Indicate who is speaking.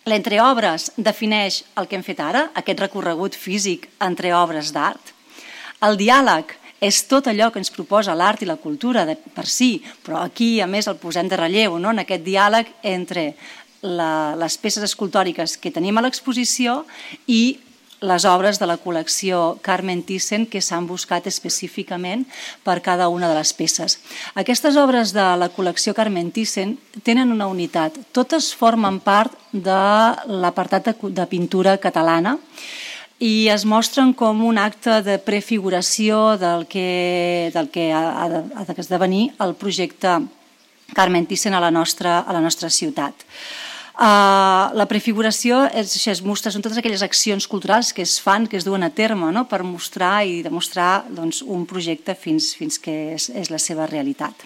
Speaker 1: L'entreobres defineix el que hem fet ara, aquest recorregut físic entre obres d'art. El diàleg és tot allò que ens proposa l'art i la cultura per si, però aquí a més el posem de relleu, en aquest diàleg entre les peces escultòriques que tenim a l'exposició i les obres de la col·lecció Carmen Thyssen que s'han buscat específicament per cada una de les peces. Aquestes obres de la col·lecció Carmen Thyssen tenen una unitat. Totes formen part de l'apartat de pintura catalana i es mostren com un acte de prefiguració del que ha d'esdevenir el projecte Carmen Thyssen a la nostra ciutat. La prefiguració es mostra, són totes aquelles accions culturals que es fan, que es duen a terme per mostrar i demostrar un projecte fins que és la seva realitat.